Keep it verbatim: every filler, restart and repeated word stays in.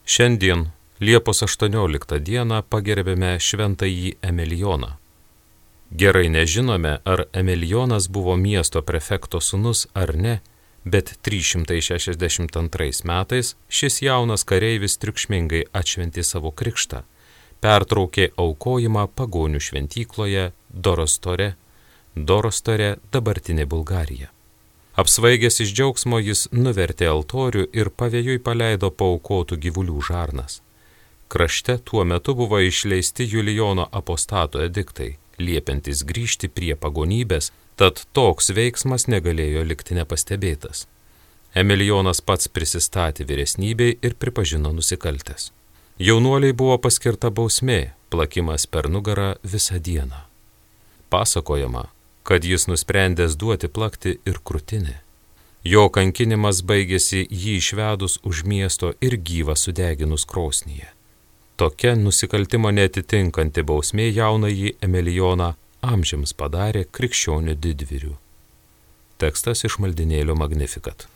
Šiandien, Liepos aštuonioliktą dieną, pagerbėme šventąjį Emilijoną. Gerai nežinome, ar Emilijonas buvo miesto prefekto sūnus ar ne, bet trys šimtai šešiasdešimt antrais metais šis jaunas kareivis triukšmingai atšventė savo krikštą, pertraukė aukojimą pagonių šventykloje Dorostore, Dorostore dabartinė Bulgarija. Apsvaigęs iš džiaugsmo jis nuvertė altorių ir pavėjui paleido paaukotų gyvulių žarnas. Krašte tuo metu buvo išleisti Julijono apostato ediktai, liepiantis grįžti prie pagonybės, tad toks veiksmas negalėjo likti nepastebėtas. Emilijonas pats prisistatė vyresnybei ir pripažino nusikaltęs. Jaunuoliai buvo paskirta bausmė, plakimas per nugarą visą dieną. Pasakojama, kad jis nusprendęs duoti plakti ir krūtinę. Jo kankinimas baigėsi jį išvedus už miesto ir gyvą sudeginus krosnyje. Tokia nusikaltimo neatitinkanti bausmė jaunąjį Emilijoną amžiams padarė krikščionių didvyriu. Tekstas iš maldinėlio Magnificat.